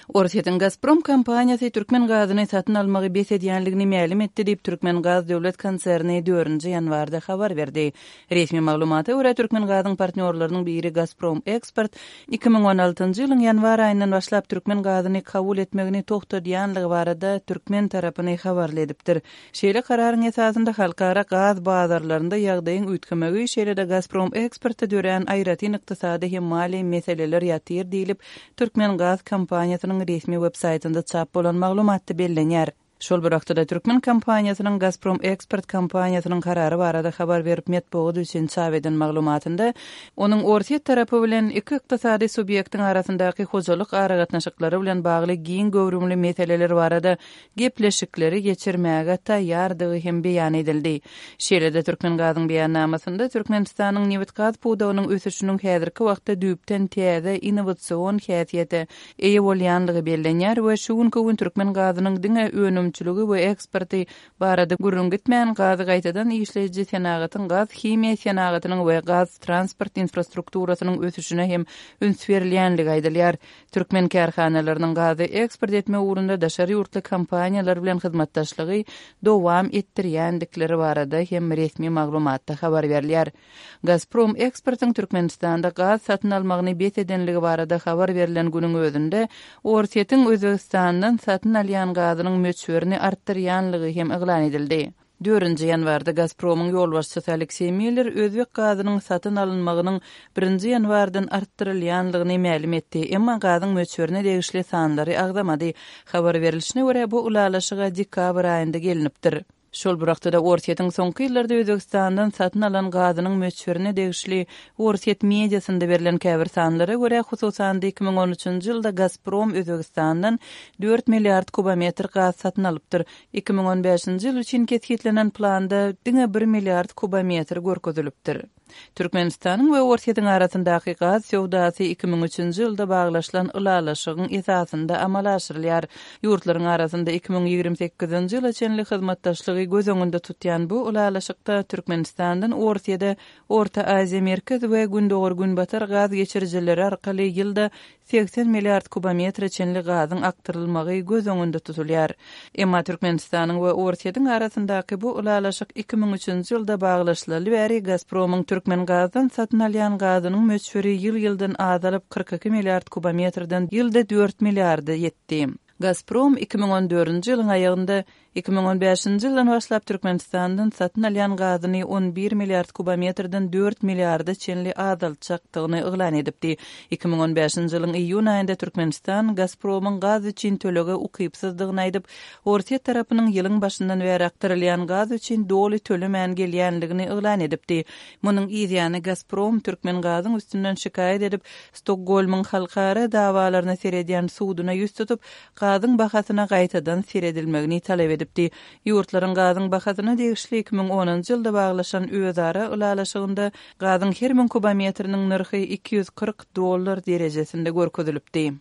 Orsýetiň Gazprom kompaniýasy türkmen gazyny satyn almagy bes edýänligini mälim etdi diýip, Türkmengaz döwlet konserni dördünji ýanwarda habar berdi. Resmi maglumata görä, Türkmengazyň partnýorlarynyň biri Gazprom Eksport 2016-njy ýylyň ýanwar aýyndan başlap türkmen gazyny kabul etmegini togtadýanlygy barada türkmen tarapyny habarly edipdir. Şeýle kararyň esasynda halkara gaz bazarlarynda ýagdaýyň üýtgemegi, şeýle-de Gazprom Eksportda dörän aýratyn ykdysady hem maliýe meseleler ýatyr diýlip, Türkmengaz kompaniýasynyň resmi web-saýtynda çap bolan maglumatda bellenýär. Şol bir wagtda-da, türkmen kompaniýasynyň Gazprom Eksport kompaniýasynyň karary barada habar berip metbugat üçin çap eden maglumatynda, onuň Orsýet tarapy bilen iki ykdysady subýektiň arasyndaky hojalyk aragatnaşyklary bilen bagly giň göwrümli meseleler barada gepleşikleri geçirmäge taýýardygy hem beýan edildi. Şeýle-de Türkmengazyň beýannamasynda Türkmenistanyň nebitgaz pudagynyň ösüşiniň häzirki wagtda düýpden täze innowasion häsiýete eýe bolýanlygy bellenýär we şu günki gün türkmen gazynyň diňe önümçiligi we eksporty barada gürrüň gitmän, gazy gaýtadan işleýji senagatyň, gaz-himiýa senagatynyň we gaz-transport infrastrukturasynyň ösüşine hem üns berilýänligi aýdylýar. Türkmen kärhanalarynyň gazy eksport etmek ugrunda daşary ýurtly kompaniýalar bilen hyzmatdaşlygy dowam etdirýändikleri barada hem resmi maglumatda habar berilýär. Gazprom Eksportyň Türkmenistanda gaz satyn almagyny bes edenligi barada habar berlen günüň özünde Orsýetiň Özbegistandan satyn alýan gazynyň möçberini artdyrýanlygy hem yglan edildi. Dördünji ýanwarda Gazpromyň ýolbaşçysy Alekseý Miller özbek gazynyň satyn alynmagynyň birinji ýanwardan artdyrylýanlygyny mälim etdi, emma gazyň möçberine degişli sanlary agzamady. Habar berlişine görä, bu ylalaşyga dekabr aýynda gelnipdir. Şol bir wagtda-da, Orsýetiň soňky ýyllarda Özbegistandan satyn alan gazynyň möçberine degişli orsýet mediasynda berlen käbir sanlara görä, hususan-da, 2013-nji ýylda Gazprom Özbegistandan dört milliard kubometr gaz satyn alypdyr. 2015-nji ýyl üçin kesgitlenen planda diňe bir milliard kubometr görkezilipdir. Türkmenistanyň we Orsýetiň arasyndaky gaz söwdasy 2003-nji ýylda baglaşylan ylalaşygyň esasynda amala aşyrylýar. Ýurtlaryň arasynda 2028-nji ýyla çenli hyzmatdaşlygy göz öňünde tutýan bu ylalaşykda Türkmenistandan Orsýede Orta Aziýa Merkez we Gündogar-Günbatar gaz geçirijileri arkaly ýylda 80 milliard kubometre çenli gazyň akdyrylmagy göz öňünde tutulýar. Emma Türkmenistanyň we Orsýetiň arasyndaky bu ylalaşyk 2003-nji ýylda baglaşylaly bäri Gazpromyň Türkmengazdan satyn alýan gazynyň möçberi ýyl-ýyldan azalyp, 42 milliard kubometrden ýylda dört milliarda ýetdi. Gazprom 2014-nji ýylyň aýagynda 2015-nji ýyldan başlap Türkmenistandan satyn alýan gazyny 11 milliard kubometrden dört milliarda çenli azaltjakdygyny yglan edipdi. 2015-nji ýylyň iýun aýynda Türkmenistan Gazpromyň gaz üçin tölege ukypsyzdygyny aýdyp, Orsýet tarapynyň ýylyň başyndan bäri akdyrylýan gaz üçin doly tölemän gelýänligini yglan edipdi. Munuň yzýany Gazprom Türkmengazyň üstünden şikaýat edip, Stokgolmyň halkara dawalaryna seredýän suduna ýüz tutup, gazyň bahasyna gaýtadan seredilmegini talap edipdi. Ýurtlaryň gazyň bahasyna degişli 2010-njy ýylda baglaşan özara ylalaşygynda gazyň her müň kubometriniň nyrhy 240 dollar derejesinde görkezilipdi.